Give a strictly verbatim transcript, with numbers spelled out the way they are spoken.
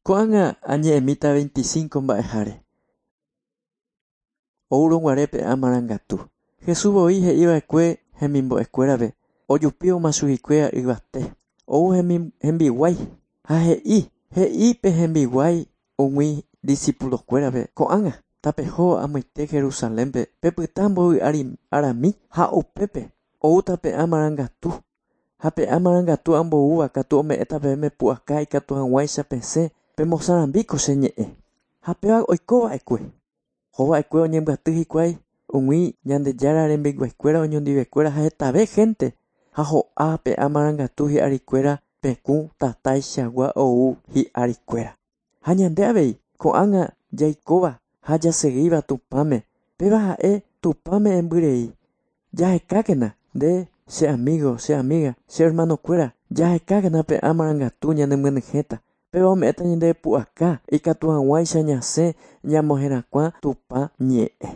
Ko'ág̃a añe'ẽmíta veinticinco mba'eháre. Ourõguare pe marangatu. Jesús voi he'iva'ekue hemimbo'ekuérape ojupi omachuhikuéra yvate. Ou hembiguái ha he'i he'i pe hembiguái umi discípulokuérape ko'ág̃a tapeho amoite Jerusalénpe pepyta mbovy arami ha upépe oúta pe marangatu ha pe marangatu amboúva katu ome'ẽta peẽme pu'aka ikatu hag̃uáicha pesẽ pemosarambíko che ñe'ẽ ha péva oikova'ekue hova'ekue oñembyaty hikuái umi Ñandejára rembiguaikuéra oñondivekuéra ha hetave gente ha ho'a pe marangatu hi'arikuéra pekũ tataichagua ou hi'arikuéra. Ha ñande avei ko'ág̃a jaikóva ha jaseguíva Tupãme péva ha'e Tupãme embyrei jahekákena nde che amigo, che amiga, che hermanokuéra jahekákena pe marangatu ñanemyenyhẽta péva ome'ẽta ñande pu'aka ikatu hag̃uáicha ñasẽ ñamoherakuã Tupã ñe'ẽ.